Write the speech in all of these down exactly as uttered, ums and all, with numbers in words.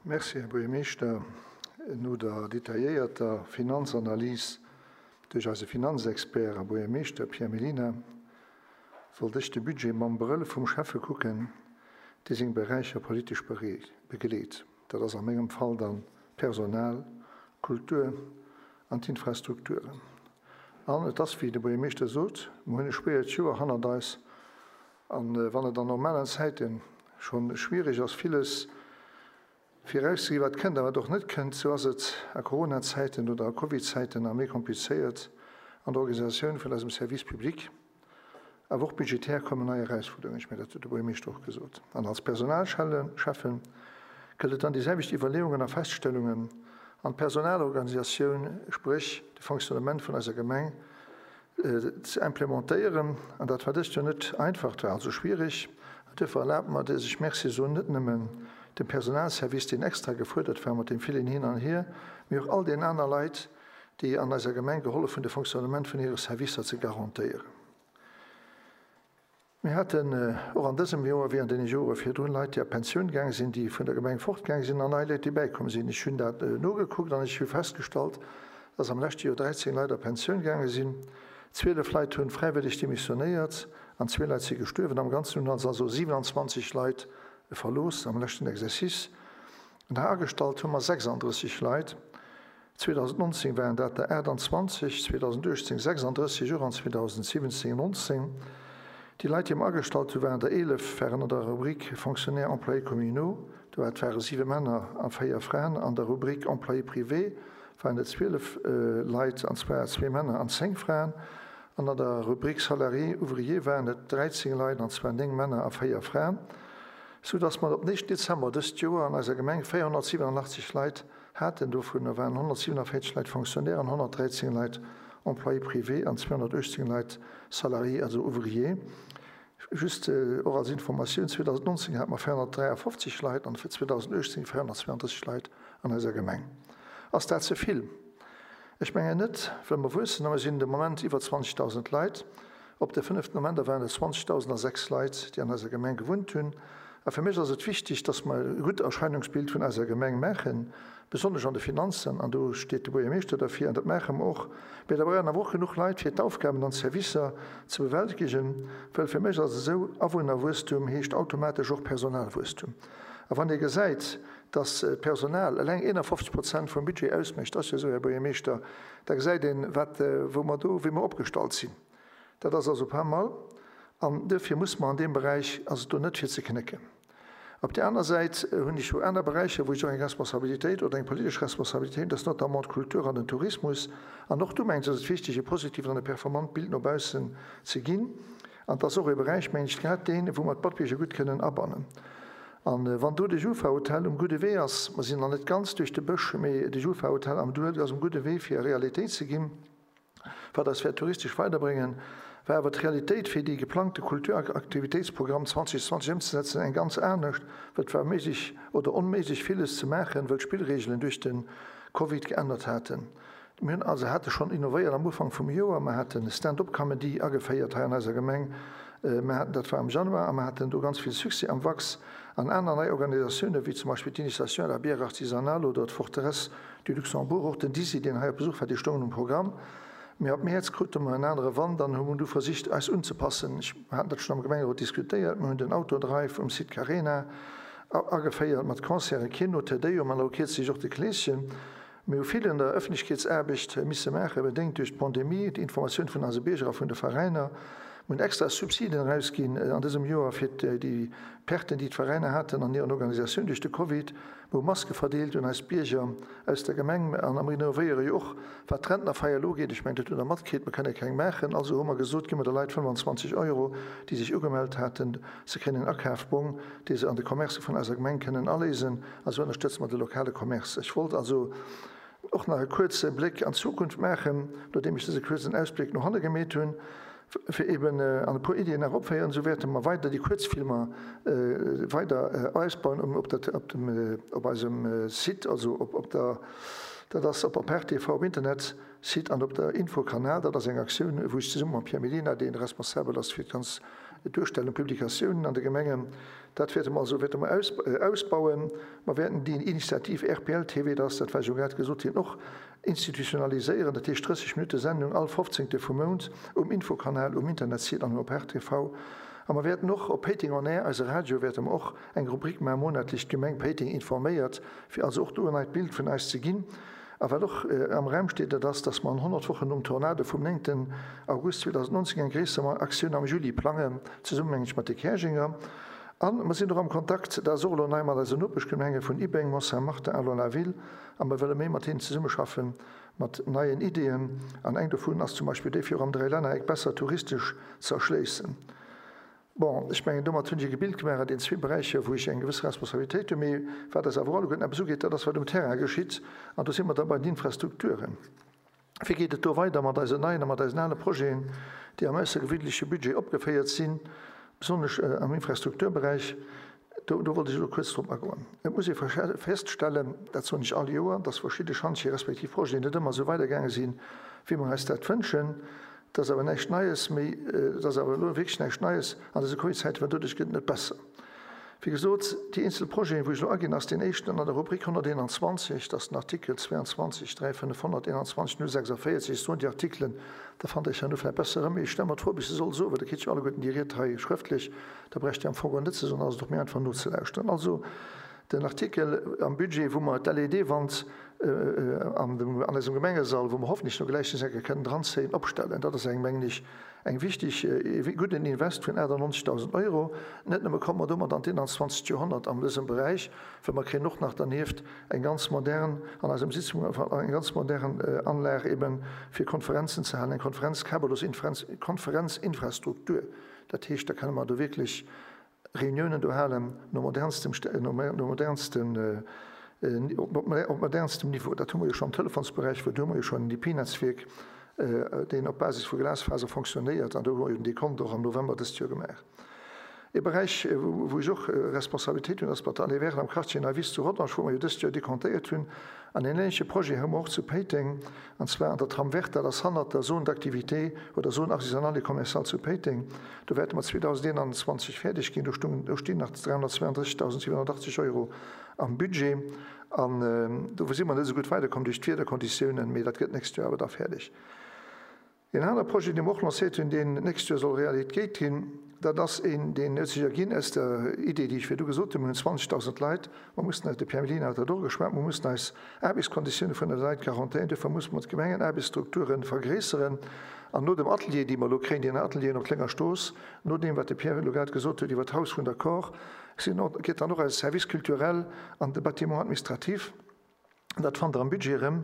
Merci, Här Buergermeeschter. No der detailléierter Finanzanalys duerch eise Finanzexpert a Buergermeeschter Pierre Mellina wollt ech de Budget mam Brëll vum Schäffe kucken, dee seng Beräicher politesch begleet. Dat ass a mengem Fall dann d'Personal, d'Kultur an d'Infrastrukturen. An et ass, wéi de Buergermeeschter sot, mer hunn e schwéiert Joer hannert eis. An wann et an normalen Zäite scho schwierig ass, villes Virausgesi wat kënnt a wat och net kënnt, sou ass et a Coronazäiten oder a Covidzäiten nach méi komplizéiert an der Organisatioun vun eisem Service public. Awer och budgetär kommen nei Erausfuerderungen, ech mengen, dat huet de Buergermeeschter och gesot. An als Personalschäffen gëllt et dann déi selwecht Iwwerleeungen a Feststellungen an d'Personalorganisatioun, spréch de Fonctionnement vun eiser Gemeng, ze implementéieren. An dat war dëst Joer net einfach, et war also schwierig. An duerfir erlaabt mer, dass ech Merci soen, net nëmmen dem Personalservice, deen extra gefuerdert war mat deem villen Hin an Hier, mee och all den aner Leit, déi an eiser Gemeng gehollef hunn, de Fonctionnement vun hire Servicer ze garantéieren. Mir haten och an dësem Joer, wéi an deene Jore virdrun, Leit, déi a Pensioun gaang sinn, déi vun der Gemeng fortgaang sinn, an nei Leit, déi bäikomm sinn. Ech hunn dat nogekuckt an ech hu festgestallt, dass am leschte Joer dräizéng Leit a Pensioun gaange sinn, zwielef Leit hunn fräiwëlleg demissionéiert an zwee Leit si gestuerwen. Am Ganzen hunn ons also siwenanzwanzeg Leit verlooss am leschten Exercice. An agestallt hu mer sechsandrësseg Leit. zweedausendnonzéng waren dat der aachtanzwanzeg, zweedausenduechtzéng sechsandrësseg, och an zweedausensiwwenzéng nonzéng. Déi Leit, déi mer agestallt hu waren der eelef, waren an der Rubrik Fonctionnaires employés communaux, do et ware siwe Männer a véier Fraen. An der Rubrik Employés privés waren et zwielef Leit, an zwar zwee Männer an zéng Fraen. An an der Rubrik Salariés ouvriers waren et dräizéng Leit, an zwar néng Männer a véier Fraen, sou dass mer op den éischten Dezember dëst Joer an eiser Gemeng véierhonnertsiwwenanachtzeg Leit haten. Dovunner waren honnertsiewenenvéierzeg Leit Fonctionnaires an honnertdräizéng Leit Employés privés an zweehonnertuechtzéng Leit Salariés, also Ouvriers. Just och als Informatioun, zweedausendnonzéng hate mer véierhonnertdräiafofzeg Leit an fir zweedausenduechtzéng véierhonnertzweeandrësseg Leit an eiser Gemeng. Ass dat ze vill? Ech mengen net, well mer wuessen a mer sinn de Moment iwwer zwanzegdausend Leit. Op de fënneften Ament waren et zwanzegdausendasechs Leit, déi an eiser Gemeng gewunnt hunn. A fir mech ass et wichteg, dass mer e gutt Erscheinungsbild vun eiser Gemeng maachen, besonnesch an de Finanzen, an do steet de Buergermeeschter derfir, an dat maache mer och. Mee da brauchen awer och genuch Leit, fir d'Aufgaben an d'Servicer ze bewältegen, well fir mech ass et esou, Awunnerwuesstum heescht automatesch och Personalwuesstum. A wann ee gesäit, dass d'Personal eleng eenafofzeg Prozent vum Budget ausmécht, ass jo esou, Här Buergermeeschter, da gesäit een, wat, wou mer do, wéi mer opgestallt sinn. Dat ass also pas mal. An duerfir muss mer an deem Beräich, ass et do net fir ze knécken. Op där aner Säit hunn ech jo aner Beräicher, wou ech och eng Responsabilitéit oder eng politesch Responsabilitéit hunn, dat ass notamment d'Kultur an den Tourismus. An och do mengen ech, ass et wichteg, e positiven an e performant Bild no baussen ze ginn. An et ass och e Beräich, mengen ech, grad deen, wou mer d'Matbierger gutt kënnen abannen. An wann do de Jufa-Hotel um gudde Wee ass, mer sinn nach net ganz duerch de Bësch, mee de Jufa-Hotel am Duel ass um gudde Wee fir Realitéit ze ginn, wat eis wäert touristesch weiderbréngen, war awer d'Realitéit fir déi geplangte Kulturaktivitéitsprogramm zweedausendzwanzeg ëmzesetzen eng ganz anescht, well et war méiglech oder onméiglech villes ze maachen, well d'Spillreegelen duerch de Covid geännert haten. Mir hunn also hate schonn innovéiert am Ufank vum Joer, mer haten Stand-up-Comedy ageféiert hei an eiser Gemeng, mer haten, dat war am Januar, a mer haten do ganz vill Succès am Wachs an aner nei Organisatiounen, wéi zum Beispill d'Initiation à la bière artisanale oder d'Forteresse du Luxembourg, och den Dizzy, deen hei op Besuch war, déi stoungen um Programm. Mee ab Mäerz krute mer en anere Wand an hu du versicht, eis unzepassen. Ech haten dat schonn am Gemengerot diskutéiert. Mir hunn den Autodrive um Site Carena ageféiert mat Concerten, Kino, Te Deum an elo kierzlech och de Kleeschen. Mir hu vill an der Ëffentlechkeetsaarbecht misse maachen, bedéngt duerch d'Pandemie, d'Informatioun vun eise Bierger a vun de Veräiner. Mir hunn extra Subsiden erausginn an dësem Joer fir déi Perten, déi d'Veräiner haten an hiren Organisatioun duerch de Covid. Mir hu Maske verdeelt un eis Bierger aus der Gemeng an mer innovéiere jo och, wat d'Rentnerfeier elo ugeet. Ech mengen, dat hutt Der matkritt, mer kënne keng maachen. Also hu mer gesot, gi mer de Leit fënnefanzwanzeg Euro, déi sech ugemellt haten. Se kréien en Akafbong, dee se an de Commercë vun eiser Gemeng kënnen aléisen. A sou ënnerstëtze mer de lokale Commerce. Ech wollt also och nach e kuerze Bléck an d'Zukunft maachen, nodeem ech dëse kuerzen Ausbléck no hanne gemeet hunn, fir eben an e puer Iddien nach opféieren. Esou wäerte mer weider déi Kuerzfilmer weider ausbauen um op der op dem op eisem Site, also op op der dat ass op Apart T V um Internetsite an op der Infokanal. Dat ass eng Aktioun, wou ech zesumme mam Pierre Mellina, deen responsabel ass fir d'ganz Duerstellung, Publikatiounen an de Gemengen. Dat wäerte mer also wäerte mer aus, ausbauen. Mer wäerten déi Initiativ R P L T V, dat ass dat, wat ech jo grad gesot hunn, och institutionaliséieren, dat heescht drësseg Minutte Sendung all fofzéngte vum Mount um Infokanal, um Internetsite an op R T V. A mer wäerten och op Péiteng on Air, eise Radio, wäerte mer och eng Rubrik maachen, monatlech d'Gemeng Péiteng informéiert, fir also och do en neit Bild vun eis ze ginn. A wat och am Raum steet, dat ass, dass mer an honnert Wochen nom Tornado vum néngten August zweedausendnonzéng eng gréisser Aktioun am Juli plangen, zesummen, meng ech, mat de Käerjenger. A mer sinn och am Kontakt, dat ass och elo nei, mat eisen Nopeschgemenge vun Ibeng, Mont-Saint-Martin a Longlaville, a mer wëlle méi mat hinnen zesummeschaffen, mat neien Ideeën. An eng dovun ass zum Beispill déi, fir och am Dräilännereck besser touristesch ze erschléissen. Bon, ech mengen, domat hunn ech e Bild gemaach an den zwee Beräicher, wou ech eng gewësse Responsabilitéit hunn. Mee wat eis awer alleguerten eppes ugeet, dat ass, wat um Terrain geschitt. An do si mer da bei den Infrastrukturen. Wéi geet et do weider mat eisen neien a mat eisen ale Projeten, déi am aussergewéinleche Budget opgeféiert sinn, besonnesch am Infrastrukturberäich? Do, do wollt ech elo kuerz drop agoen. Et muss ee feststellen, dat soen ech all Joer, dass verschidde Schantje respektiv Projeten net ëmmer esou weidergaange sinn, wéi mer eis dat wënschen. Dat ass awer näischt Neies méi, dat ass awer elo wierklech näischt Neies an dëse Covid-Zäiten, well doduerch gëtt et net besser. Wéi gesot, déi eenzel Projeten, wou ech elo aginn, ass deen éischten an der Rubrik honnerteenanzwanzeg, dat ass den Artikel zweiundzwanzeg dräi fënnefhonnerteenanzwanzeg null sechsundvéierzeg. Ech soen déi Artikelen, da fannt Der iech herno vläicht besser erëm. Mee ech stelle mer d'Fro, ob ech se soll soen, well da kritt jo alleguerten déi Ried hei schrëftlech, da bräicht Dir am Fong och net ze soen, ass et och méi einfach nozelauschteren. Also den Artikel am Budget, wou mer d'L E D-Wand an dem, an eisem Gemengesall, wou mer hoffentlech no gläich eng Kéier kënnen dranzéien, opstellen. Dat ass eng, mengen ech, eng wichteg, e gudden Invest vun achtannonzegdausend Euro. Net nëmme komme mer domat an d'einundzwanzegt. Joerhonnert an dësem Beräich, well mer kréien och nach dernieft eng ganz modern, an eisem Sitzung, eng ganz modern Anlag eben fir Konferenzen ze halen, eng Konferenz, kabellos Konferenzinfrastruktur. Dat heescht, da kënne mer do wierklech Reuniounen do halen no modernstem, no modernstem, op modernstem Niveau. Dat hu mer jo schonn am Telefonsberäich, wou do hu mer jo schonn en I P-Netzwierk, deen op Basis vu Glasfaser fonctionnéiert, an do hu mer jo den Dekont och am November dëst Joer gemaach. E Beräich, wou ech och Responsabilitéit hunn, ass mat der Allée verte am Quartier Neiwiss zu Rodange, wou mer jo dëst Joer dekontéiert hunn. An en änleche Projet hu mer och zu Péiteng, an zwar an der Trame verte, dat ass hannert der Zone d'activité oder Zone artisanale et commerciale zu Péiteng. Do wäerte mer zweedausendeenanzwanzeg fäerdeg ginn. Do stungen, do stinn nach dräihonnertzweiunddrëssigdausendsiwenhonnertachtzeg Euro am Budget. An do si mer net esou gutt weiderkomm duerch d'Wiederkonditiounen, mee dat gëtt d'nächst Joer awer da fäerdeg. Een anere Projet, dee mer och lancéiert hunn, deen d'nächst Joer soll Realitéit ginn, dat ass een, deen huet sech erginn aus der Idee, déi ech virdu gesot hunn. Mir hunn zwanzegdausend Leit, mer mussen eis, de Pierre Mellina huet dat och geschwat, mer mussen eis Aarbechtskonditioune vun de Leit garantéieren. Duerfir musse mer d'Gemengenaarbechtsstrukture vergréisseren. An no dem Atelier, dee mer elo kréien, deen Atelieren op Kléngerstrooss, no deem, wat de Pierre elo grad gesot huet iwwer d'Haus vun der Kor, sinn, geet dann och eise Service culturel an de Bâtiment administratif. Dat fannt Der am Budget erëm.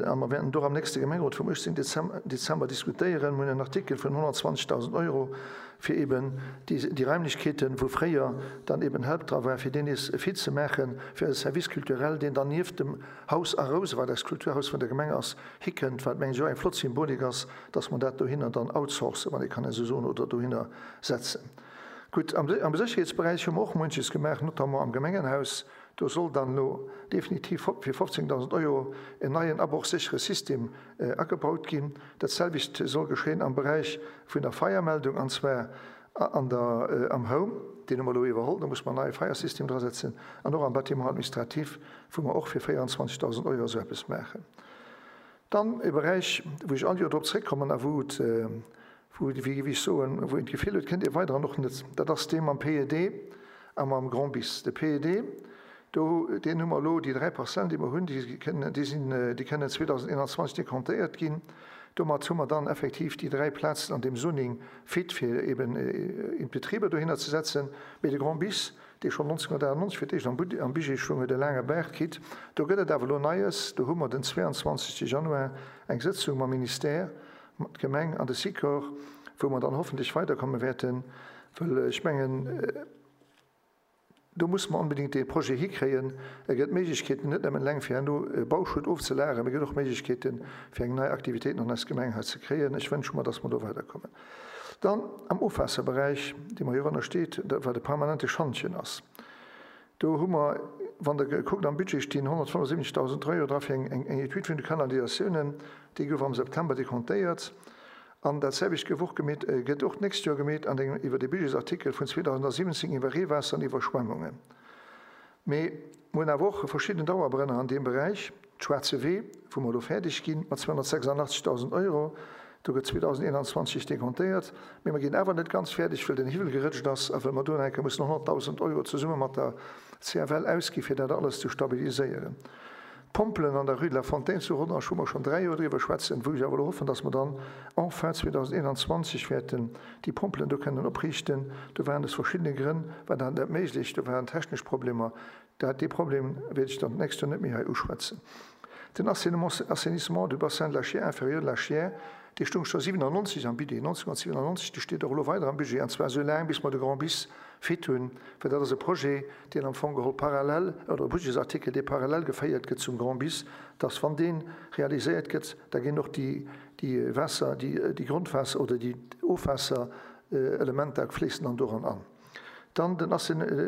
A mer wäerten do am nächste Gemengerot vum uechtzéngten Dezember diskutéieren. Mir hunn en Artikel vun honnertzwanzegdausend Euro, fir eben déi Raimlechkeeten, wou fréier dann eben Help dra war, fir déi nees fit ze maachen, fir eise Service culturel, deen dann nieft dem Haus A Rouse, wat eist Kulturhaus vun der Gemeng ass, hikënnt, wat, mengen ech, och eng flott Symbolik ass, dass mer dat dohinner dann outsourcen, wann ee kann esou soen, oder dohinner setzen. Gutt, am Sécherheetsberäich hu mer och munches gemaach, notamment am Gemengenhaus. Do soll dann elo definitiv fir fofzéngdausend Euro en neien abrochséchere System agebaut ginn. Dat selwecht soll geschéien am Beräich vun der Feiermeldung, an zwar an der, am Home, deen hu mer elo iwwerholl, do muss mer en neie Feiersystem drasetzen, an och am Bâtiment administratif, wou mer och fir véierundzwanzegdausend Euro esou eppes maachen. Dann e Beräich, wou ech all Joer drop zréckkommen a wou et, wou, wéi géif ech soen, wou een d'Gefill huet, kënnt ee weider an och net, dat ass dee mam P E D a mam Grand Bis. De P E D, do, deen hu mer elo, déi dräi Parzellen, déi mer hunn, déi kënnen, déi sinn, déi kënnen zweedausendeenanzwanzeg dekontéiert ginn. Domat hu mer dann effektiv déi dräi Plazen an deem Zoning fit, fir eben in Betriber dohinner ze setzen. Mee de Grand Bis, dee schonn nonzénghonnertachtannonzeg fir d'éischt am Budget stoung, huet e laange Baart kritt. Do gëtt et awer elo Neies. Do hu mer den zweiundzwanzegste Januar eng Sëtzung mam Ministère, mat Gemeng an de Sikor, wou mer dann hoffentlech weiderkomme wäerten, well ech mengen, do muss mer onbedéngt dee Projet hikréien. E gëtt Méiglechkeeten net nëmmen eleng fir herno Bauschutt ofzelageren, mee gëtt och Méiglechkeeten, fir eng nei Aktivitéiten an eis Gemeng hei ze kréien. Ech wënsche mer, dass mer do weiderkommen. Dann am Ofwaasserberäich, dee mer jo ënnersteet, wat e permanente Schantjen ass. Do hu mer, wann Der kuckt, am Budget stinn honnertfënnefundsiwwenzegdausend Euro dra fir eng Etüd vun de Kanalisatiounen. Déi gouf am September dekontéiert. An dat selwecht gouf och gemeet, gëtt och d'nächst Joer gemeet an engem iwwer de Budgetsartikel vun zweedausendsiwwenzéng iwwer Reewaasser an Iwwerschwemmungen. Mee mir hunn awer och verschidden Dauerbrenner an deem Beräich, Schwaarze Wee, wou mer elo fäerdeg ginn mat zweehonnertsechsundachtzegtausend Euro, do gëtt zweedausendeenanzwanzeg dekontéiert, mee mer ginn awer net ganz fäerdeg, well den Hiwwel gerëtscht ass a well mer do nach eng Kéier mussen honnertdausend Euro zesumme mat der C F L ausgi fir dat alles ze stabiliséieren. D'Pompelen an der Rue de la Fontaine zu Rodange, wou mer schonn dräi Joer driwwer schwätzen, wou ech awer elo hoffen, dass mer dann enfin zweedausendeenanzwanzeg wäerten déi Pompelen do kënnen opriichten. Do waren aus verschiddene Grënn war dat net méiglech, do waren technesch Problemer. Dat, dee Problem wäert ech dann d'nächst Joer net méi hei uschwätzen. Den Assainissement du bassin de la Chiers inférieur de la Chiers, dee stoung scho siwenannonzeg am Budget, nonzénhunnertsiwenannonzeg, dee steet och elo weider am Budget, an zwar esou laang, bis mer de Grand Bis fit hunn, well dat ass e Projet, deen am Fong geholl parallel, oder e Budgetsartikel, dee parallel geféiert gëtt zum Grand Bis, dass wann dee realiséiert gëtt, da ginn och déi, déi Waasser, déi, déi Grondwaasser oder déi Ofwaasserelementer fléissen dann doran an. Dann den,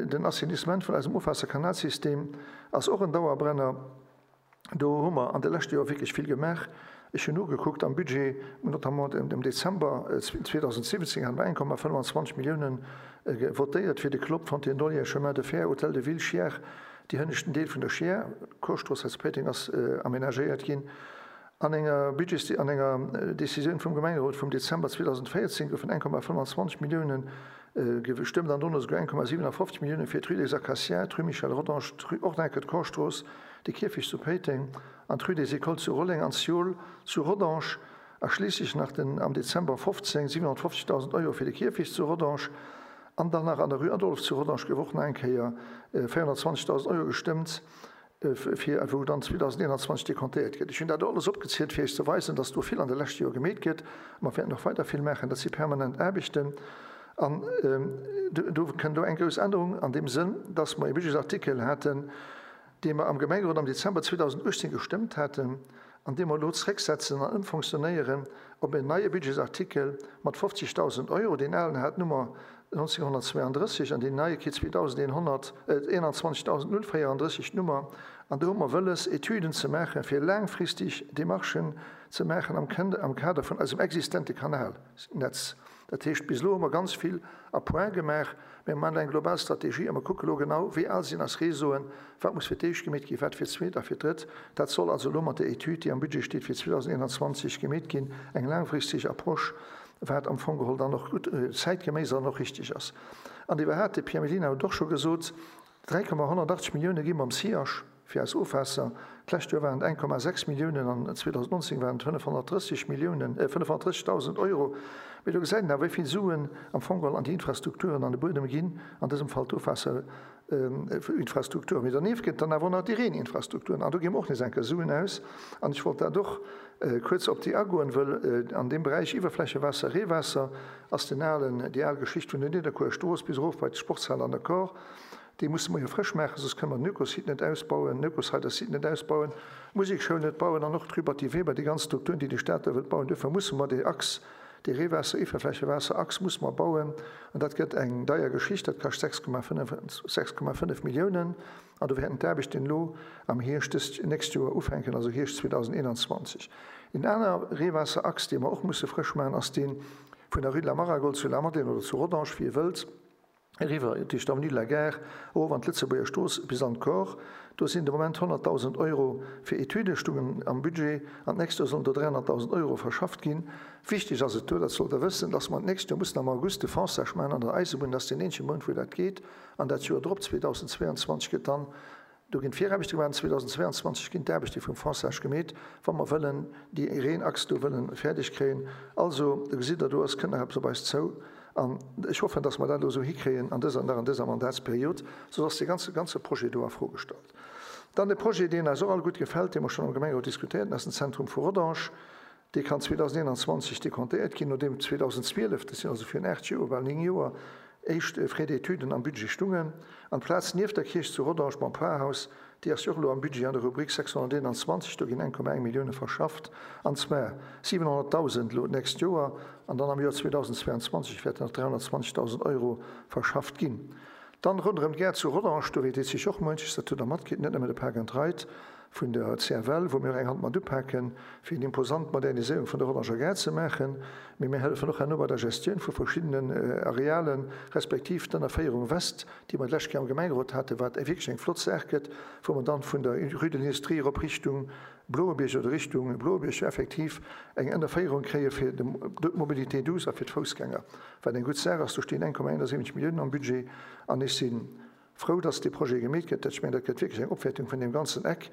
den Assainissement vun eisem Ofwaasserkanalsystem ass och en Dauerbrenner. Do hu mer an de leschte Joer wierklech vill gemaach. Ech hunn nogekuckt am Budget, notamment am Dezember zweedausendsiwwenzéng hate mer eng Komma fënnwanzwanzeg Milliounen votéiert fir de Clopp, Fontaine d'Olière, Chemin de Fer, Hôtel de Ville, Chiers, déi hënneschten Deel vun der Chiers, Korstrooss hei zu Péiteng ass amenagéiert ginn. An enger Budgets-, an enger Decisioun vum Gemengerot vum Dezember zweedausendvéierzéng goufen eng Komma fënnwanzwanzeg Milliounen gestëmmt an dono esouguer eng Komma siwenafofzeg Milliounen fir d'Rue des Acacias, d'Rue Michel Rodange, d'Rue Ordinquet, d'Korstrooss, de Kierfecht zu Péiteng an d'Rue des Écoles zu Rolleng an d'Siol zu Rodange a schliisslech nach den am Dezember fofzéng siwenhonnertfofzegdausend Euro fir de Kierfecht zu Rodange an dann nach an der Rue Adolphe zu Rodange gouf och nach eng Kéier véierhonnertzwanzegdausend Euro gestëmmt, fir wou dann zweedausendeenanzwanzeg dekontéiert gëtt. Ech hunn dat alles opgezielt, fir Iech ze weisen, dass do vill an de leschte Joer gemeet gëtt. A mer wäerten och weider vill maachen. Dat si permanent Aarbechten. An do kënnt elo eng grouss Ännerung an deem Sënn, dass mer e Budgetsartikel haten, dee mer am Gemengerot am Dezember zweedausenduechtzéng gestëmmt haten an dee mer elo zrécksetzen an ëmfonctionnéieren op en neie Budgetsartikel mat fofzegdausend Euro. Deen alen hat d'Nummer nonzénhunnertzweeandrësseg an deen neie kritt zweedausendeenhonnerteenanzwanzegdausendnullvéierandrësseg d'Nummer. An do hu mer wëlles, Etüden ze maachen, fir laangfristeg Demarchen ze maachen am Kader vun eisem existente Kanalnetz. Dat heescht, bis elo hu mer ganz vill à point gemaach, mä mer maachen eng global Strategie a mer kucke elo genau, wéi al sinn eis Réseauen, wat muss fir d'éischt gemeet ginn, wat fir d'zweet a fir d'drëtt. Dat soll also elo mat der Etüd, déi am Budget steet fir zweedausendeenanzwanzeg, gemeet ginn, eng laangfristeg Approche, wat am Fong geholl dann och gutt, zäitgeméiss an och richtig ass. An iwwerhaapt, de Pierre Mellina huet och scho gesot, dräi Komma honnertachtzeg Millioune gi mam Siach fir eis Ofwaasser. D'lescht Joer waren et eng Komma sechs Milliounen an zweedausendnonzéng waren et fënnefhonnertdrësseg Milliounen, fënnefhonnertdrëssegdausend Euro. Mee do gesäit een awer, wéi vill Suen am Fong geholl an déi Infrastrukturen an de Buedem ginn, an dësem Fall d'Ofwaasserinfrastrukturen. Mee dernieft gëtt et dann awer och nach déi Reeninfrastrukturen an do gi mer och nees eng Kéier Suen aus. An ech wollt dat och kuerz op déi agoen, wëll an deem Beräich Iwwerflächewaasser, Reewaasser ass den alen, déi al Geschicht vun der Nidderkuer Strooss bis erof bei d'Sportshal an der Kor, déi musse mer jo frësch maachen, soss kënne mer den Ökosite net ausbauen, den Ökosider-Site net ausbauen, d'Musekschoul net bauen an och d'Rue Batty Weber, déi ganz Strukturen, déi de Staat do wëllt bauen. Duerfir musse mer dee Achs, dee Reewaasser-Iwwerflächewaasser-Achs musse mer bauen. An dat gëtt eng deier Geschicht, dat kascht sechs Komma fënnef, sechs Komma fënnef Milliounen. An do wäerten d'Aarbechten elo am Hierscht dëst nächst Joer ufänken, also Hierscht zweedausendeenanzwanzeg. Een aner Reewaasserachs, dee mer och musse frësch maachen, ass dee vun der Rue de la Maragold zu Lamadelaine oder zu Rodange, wéi ee wëllt, eriwwer duerch d'Avenue de la Gare erof an d'Lëtzebuerger Strooss bis an d'Kor. Do sinn de Moment honnertdausend Euro fir Etüde stungen am Budget an d'nächst Joer sollen do dräihonnertdausend Euro verschafft ginn. Wichteg ass et do, dat sollt Der wëssen, dass mer d'nächst Joer mussen am August de Fonçage maachen an der Eisebunn. Dat ass deen eenzege Mount, wou dat geet. An dat Joer drop, zweedausendzweianzwanzeg, gëtt dann, do ginn d'Viraarbechte gemaach an zweedausendzweianzwanzeg ginn d'Aarbechte vum Fonçage gemeet, wa mer wëllen déi Reenachs do wëllen fäerdeg kréien. Also, do gesitt Der, do ass, kënnt nach eppes op eis zou. An ech hoffen, dass mer dat elo esou hikréien an dëser, nach an dëser Mandatsperiod, soss ass dee ganze, ganze Projet do a Fro gestallt. Dann e Projet, deen eis och all gutt gefält, dee mer schonn am Gemengerot diskutéiert hunn, ass den Zentrum vu Rodange. Dee kann zweedausendeenanzwanzeg dekontéiert ginn, nodeem zweedausendzwielef, dat sinn also virun aacht Joer, bal néng Joer, éischt Frais d'études am Budget stungen. An d'Plaz nieft der Kierch zu Rodange mam Parhaus, déi ass jo och elo am Budget an der Rubrik sechshonnerteenanzwanzeg, do ginn eng Komma eng Millioune verschafft, an zwar siwenhonnertdausend elo d'nächst Joer an dann am Joer zweedausendzweianzwanzeg wäerten nach dräihonnertzwanzegdausend Euro verschafft ginn. Dann ronderëm d'Gare zu Rodange, do weess sech och muenches, dat hutt Der matkritt, net nëmme de Park and Ride, vun der C F L, wou mir eng Hand mat upaken, fir eng imposant Moderniséierung vun der Rodanger Gare ze maachen. Mee mir hëllefen och herno bei der Gestioun vu verschiddenen Arealen, respektiv d'Ënnerféierung West, déi mer d'lescht Kéier am Gemengerot haten, wat wierklech eng flott Saach gëtt, wou mer dann vun der Rue de l'Industrie erop Richtung Bloebierg oder Richtung Bloebierg effektiv eng Ënnerféierung kréie fir d'Mobilité douce a fir d'Foussgänger, wat eng gutt Saach ass. Do stinn eng Komma siwwenundsiwwenzeg Milliounen am Budget an ech si frou, dass dee Projet gemeet gëtt. Ech mengen, dat gëtt wierklech eng Opwäertung vun deem ganzen Eck.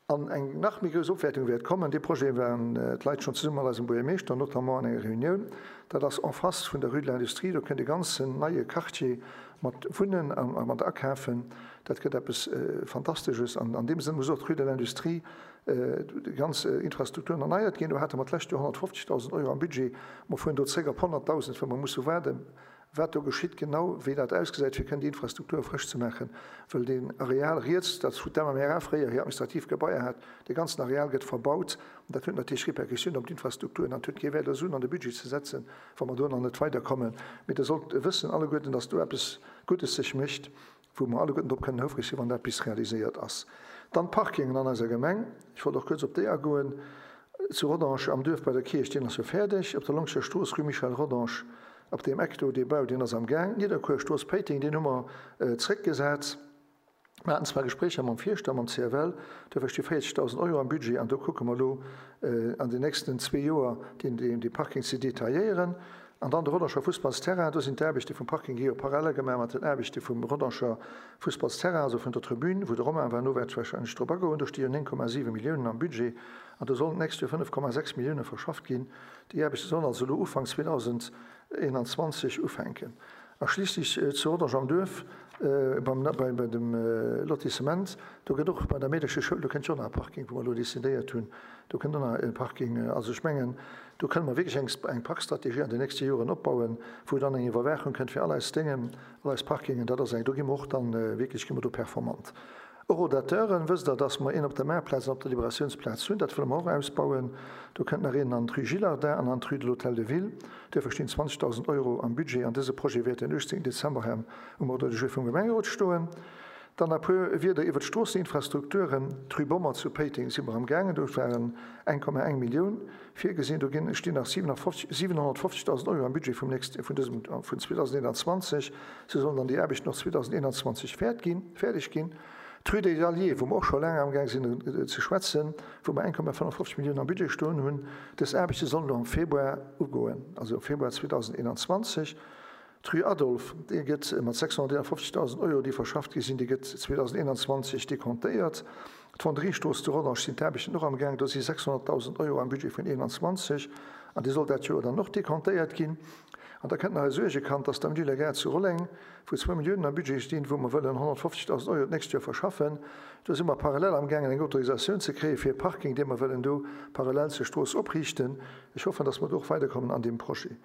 An eng nach méi grouss Opwäertung wäert kommen, dee Projet waren d'Leit schonn zesumme mat eisem Buergermeeschter, notamment an enger Reunioun, dat ass en face vun der Rue de l'Industrie, do kënnt e ganzen neie Quartier mat Wunnen a mat Akafen. Dat gëtt eppes Fantastesches. An an deem Sënn muss och d'Rue de l'Industrie, déi ganz Infrastrukturen erneiert ginn. Do hate mer d'lescht Joer honnertfofzegdausend Euro am Budget. Mer fueren do zréck op honnertdausend, well mer musse waarden, wat do geschitt genau, wéi dat ausgesäit, fir kënnen déi Infrastruktur frësch ze maachen, wëll deen Areal riets, dat wou d'M M R A fréier hir administrativ Gebaier hat, dee ganzen Areal gëtt verbaut an dat huet natierlech Répercussiounen op d'Infrastrukturen an et huet kee Wäert, do Suen an de Budget ze setzen, wa mer do nach net weiderkommen. Mee Der sollt wëssen alleguerten, dass do eppes Guddes sech mécht, wou mer alleguerten drop kënnen houfreg sinn, wann dat bis realiséiert ass. Dann d'Parkingen an eiser Gemeng, ech wollt och kuerz op déi agoen. Zu Rodange am Duerf bei der Kierch, deen ass jo fäerdeg. Op der Longscher Strooss, Rue Michel Rodange, op deem Eck do, dee Bau, deen ass am Gaang. Nidderkuer, Strooss Péiteng, deen hu mer zréckgesat. Mer haten zwar Gespréicher mam Fierschter, mam C F L, duerfir sti véierzegdausend Euro am Budget an do kucke mer elo an den nächsten zwee Joer, deen Parking ze detailléieren. An dann de Rodanger Fussballsterrain, do sinn d'Aarbechte vum Parking gi jo parallel gemaach mat den Aarbechte vum Rodanger Fussballsterrain, also vun der Tribün, wou de Romain war, no wäert warscheinlech drop agoen. Do sti jo néng Komma siwe Milliounen am Budget an do sollen d'nächst Joer fënnef Komma sechs Millioune verschafft ginn. Déi Aarbechte sollen also elo Ufank zweedausendeenanzwanzeg ufänken. A schliisslech zu Rodange am Duerf beim, bei, bei dem Lotissement, do gëtt och bei der Meedercheschoul, do kënnt jo och nach e Parking, wou mer elo decidéiert hunn, do kënnt och nach e Parking. Also ech mengen, do kënne mer wierklech eng, eng Parkstrategie an den nächste Joren opbauen, wou dann eng Iwwerwaachung kënnt fir all eis Déngen, all eis Parkingen. Dat ass eng, do gi mer och dann wierklech, gi mer do performant. Rodateuren, wësst Der, dass mer een op der Maartplaz an op der Liberatiounsplaz hunn. Dat wëlle mer och ausbauen. Do kënnt nach een an d'Rue Gillardin an an d'Rue de l'Hôtel de Ville. Duerfir stinn zwanzegdausend Euro am Budget an dëse Projet wäert den uechtzéngten Dezember hei um Ordre du jour vum Gemengerot stoen. Dann e puer Wierder iwwer d'Stroosseninfrastrukturen. D'Rue Bommer zu Péiteng si mer am gaangen. Do waren eng Komma eng Millioun virgesinn. Do ginn, stinn nach siewenhonnertfofzegdausend Euro am Budget vum nächst, vun dësem, vun zweedausendeenanzwanzeg. Se sollen dann déi Aarbechten och zweedausendeenanzwanzeg fäert ginn, fäerdeg ginn. D'Rue des Alliés, wou mer och scho laang amgaang sinn ze schwätzen, wou mer eng Komma fënnefundfofzeg Milliounen am Budget stoen hunn, dës Aarbechte sollen elo am Februar ugoen, also am Februar zweedausendeenanzwanzeg. D'Rue Adolphe, déi gëtt mat sechshonnerteenafofzegdausend Euro, déi verschafft gi sinn, déi gëtt zweedausendeenanzwanzeg decomptéiert. D'Fonderiestrooss zu Rodange sinn d'Aarbechten och amgaang, do si sechshonnertdausend Euro am Budget vun eenanzwanzeg an déi soll dat Joer dann och decomptéiert ginn. An da kënnt nach e Suergekand, dass d'Avenue de la Gare zu Rolleng, wou zwou Milliounen am Budget stinn, wou mer wëllen honnertfofzegdausend Euro d'nächst Joer verschaffen. Do si mer parallel amgaangen, eng Autorisatioun ze kréie fir e Parking, dee mer wëllen do parallel zur Strooss opriichten. Ech hoffen, dass mer do och weiderkommen an deem Projet.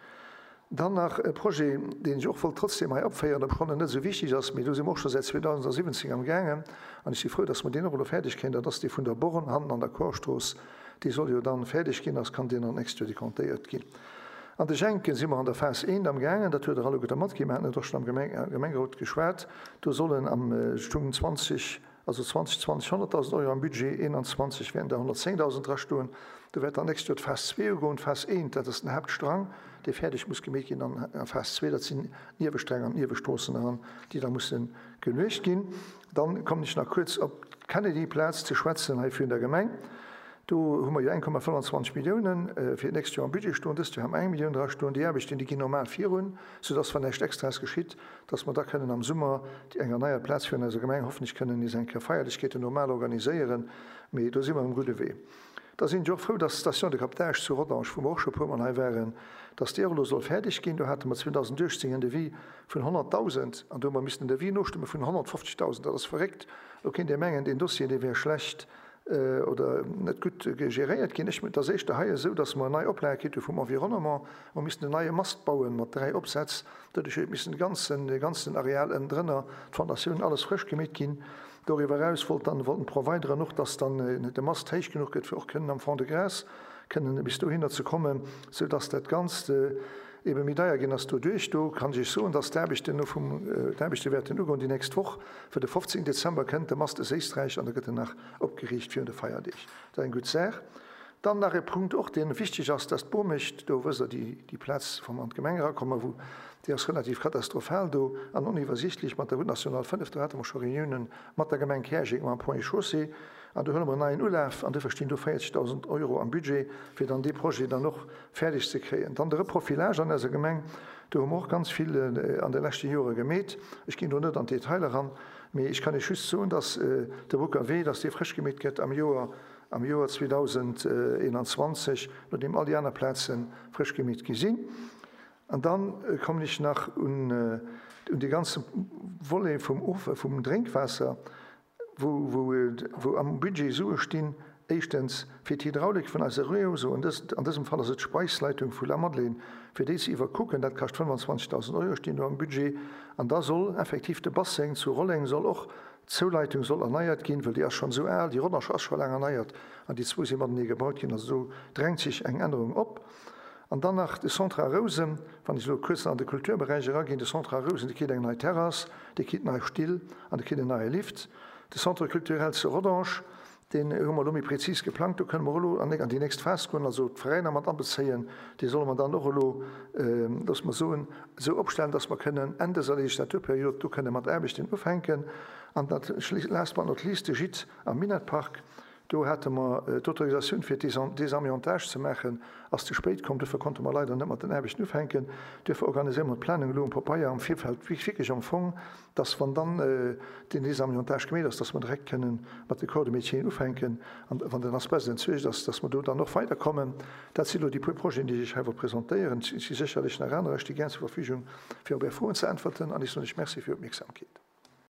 Dann nach e Projet, deen ech och wollt trotzdem hei opféieren, obschonn en net esou wichteg ass, mee do si mer och scho säit zweedausendsiwwenzéng amgaangen an ech si frou, dass mer deen och elo fäerdeg kréien, dat ass dee vun der Born hannen an der Korstrooss. Dee soll jo dann fäerdeg ginn, ass kann deen an d'nächst Joer decomptéiert ginn. An de Schenken si mer an der Phas eent amgaangen, dat huet Der alleguerter matginn, mer haten et och schonn am Gemengerot geschwat, do sollen am stung zwanzeg, also zweedausendzwanzeg honnertdausend Euro am Budget, eenanzwanzeg wäerten der honnertzéngdausend drastoen. Do wäert dann d'nächst Joer d'Phas zwee ugoen. D'Phas eent, dat ass den Haaptstrang, dee fäerdeg muss gemeet ginn, an a Phas zwee, dat sinn d'Niewestränge an d'Niewestroossen eran, déi da musse geluecht ginn. Dann kommen ech nach kuerz op d'Kennedy-Plaz ze schwätzen hei virun der Gemeng. Do hu mer jo eng Komma fënnfanzwanzeg Milliounen fir d'nächst Joer am Budget stoen. Dëst Joer hu mer eng Millioun dra stoen. Déi Aarbechten, déi ginn normal virun, soudass, wann näischt Extraes geschitt, dass mer da kënnen am Summer déi eng erneiert Plaz virun eiser Gemeng hoffentlech kënnen nees eng Kéier Feierlechkeeten normal organiséieren. Mee do si mer um gudde Wee. Da sinn ech och frou, dass d'Station de captage zu Rodange, wou mer och scho e puermol hei waren, dass déi och elo soll fäerdeg ginn. Do hate mer zweedausendachtzéng en Devis vun honnertdausend an do hu mer missen en Devis nostëmme vun honnertfofzegdausend. Dat ass verréckt. Elo kéint ee mengen, deen Dossier, dee wär schlecht oder net gutt geréiert ginn. Ech, et ass éischter hei esou, dass mer nei Oplage kritt hu vum Environnement. Mer missten en neie Mast bauen mat dräi Opsätz. Doduerch huet missen de ganzen, de ganzen Areal ënnendrënner, d'Fondatioun, alles frësch gemeet ginn. Doriwwer eraus wollt dann, wollten d'Provideren och, dass dann de Mast héich genuch gëtt, fir och kënnen am Fond de Gras kënnen bis dohinner ze kommen, soudass dat Ganzt ebe méi deier ginn ass doduerch. Do kann ech soen, dass d'Aarbechten elo vum, d'Aarbechte wäerten ugoen déi nächst Woch, fir de fofzéngten Dezember kënnt de Mast aus Éisträich an da gëtt en nach opgeriicht virun de Feierdeeg. Dat ass eng gutt Saach. Dann nach e Punkt och, dee wichteg ass, dass d'Bomecht, do wësst Der, déi, déi Plaz, wou mer an d'Gemeng erakommen, wou, déi ass relativ katastrophal do an oniwwersichtlech mat der Route nationale fënnef, do hate mer scho Reuniounen mat der Gemeng Käerjeng, mam Ponts et Chaussées, an do huele mer en neien Ulaf an duerfir stinn do véierzegdausend Euro am Budget, fir dann dee Projet dann och fäerdeg ze kréien. Dann de Reprofilage an eiser Gemeng, do hu mer och ganz vill an de leschte Jore gemeet. Ech ginn do net an d'Detailer eran, mee ech kann Iech just soen, dass de Boucker Wee, dass dee frësch gemeet gëtt am Joer, am Joer zweedausendeenanzwanzeg, nodeem all déi aner Plaze frësch gemeet gi sinn. An dann kommen ech nach un, un dee ganze Volet vum Of-, vum Drénkwaasser, wou, wou, wou am Budget Sue stinn, éischtens fir d'Hydraulik vun eise Réseau, an dës, an dësem Fall ass et d'Speisleitung vu Lamadelaine, fir déi ze iwwerkucken, dat kascht fënnwanzwanzegdausend Euro, stinn do am Budget. An da soll effektiv de Basseng zu Rolleng soll och, d'Zouleitung soll erneiert ginn, well déi ass schonn esou al, déi Rodange ass scho laang erneiert an déi zwou si matenee gebaut ginn, also do drängt sech eng Ännerung op. An dann nach de Centre A Rousen, wann ech elo kuerz an de Kulturberäich eraginn, de Centre A Rousen, dee kritt eng nei Terrass, dee kritt nei Still an dee kritt en neie Lift. De Centre culturel zu Rodange, deen hu mer elo méi prezis geplangt, do kënne mer och elo an déi nächst Phas goen, also d'Veräiner mat abezéien, déi solle mer dann och elo, loosse mer soen, esou opstellen, dass mer kënnen Enn dëser Legislaturperiod do kënne mat Aarbechten ufänken. An dat, last but not least, de Gîte am Minett-Park, do hate mer d'Autorisatioun fir Désamiantage ze maachen, ass ze spéit komm, duerfir konnte mer leider net mat den Aarbechten ufänken. Duerfir organiséiere mer d'Planung elo um Papeier am Virfeld wierklech am Fong, dass wann dann den Désamiantage gemeet ass, dass mer direkt kënnen mat de Corps de métieren ufänken an wann den Asbest entsuergt ass, dass mer do dann och weiderkommen. Dat si elo déi puer Projeten, déi ech hei wollt presentéieren. Et si sécherlech nach anerer. Ech sti gär zur Verfügung, fir op Är Froen ze äntwerten an ech soen lech Merci fir Är Opmierksamkeet.